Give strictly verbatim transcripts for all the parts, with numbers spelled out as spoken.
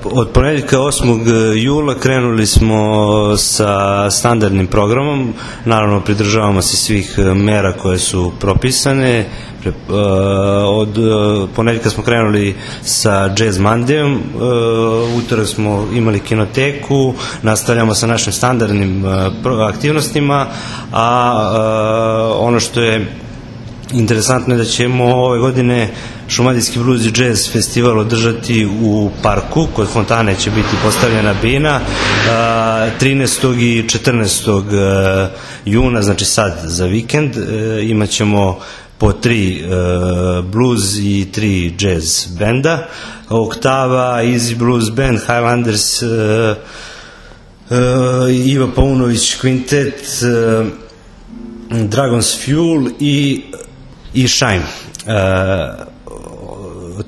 Od ponedjeljka osmog jula krenuli smo sa standardnim programom, naravno pridržavamo se svih mera koje su propisane. Od ponedjeljka smo krenuli sa Jazz Mondayom, utorak smo imali kinoteku, nastavljamo sa našim standardnim aktivnostima, a ono što je interesantno je da ćemo ove godine Šumadijski blues i jazz festival održati u parku, kod fontane će biti postavljena bina trinaestog i četrnaestog juna, znači sad za vikend. Imat ćemo po tri blues i tri jazz benda, Oktava, Easy Blues Band, Highlanders, Iva Paunović Quintet, Dragon's Fuel i i Shine. E,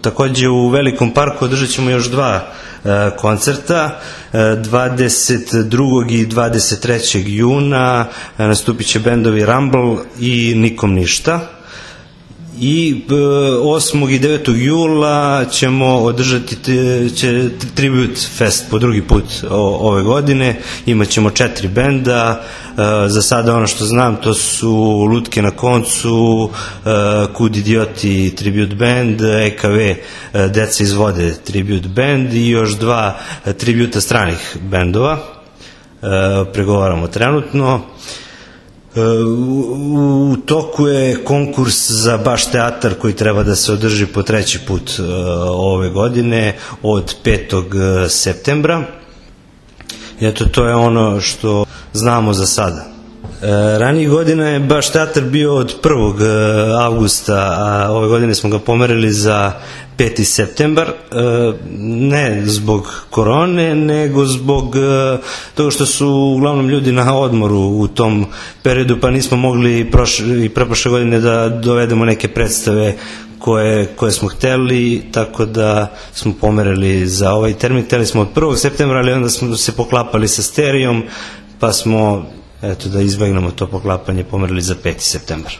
takođe u Velikom parku održat ćemo još dva e, koncerta, e, dvadeset drugog i dvadeset trećeg juna e, nastupit će bendovi Rumble i Nikom ništa. I osmog i devetog jula ćemo održati će Tribute Fest po drugi put ove godine. Imaćemo četiri benda, za sada ono što znam to su Lutke na koncu, Kud idioti Tribute Band, E K V Deca iz vode Tribute Band i još dva tributa stranih bendova. Pregovaramo trenutno. U toku je konkurs za Baš teatar koji treba da se održi po treći put ove godine od petog septembra. I eto, to je ono što znamo za sada. Ranijih godina je Baš teatar bio od prvog avgusta, a ove godine smo ga pomerili za peti septembar, ne zbog korone, nego zbog toga što su uglavnom ljudi na odmoru u tom periodu, pa nismo mogli i preprošle godine da dovedemo neke predstave koje, koje smo hteli, tako da smo pomerili za ovaj termin. Hteli smo od prvog septembra, ali onda smo se poklapali sa Sterijom, pa smo, eto, da izbegnemo to poklapanje, pomerili za peti septembar.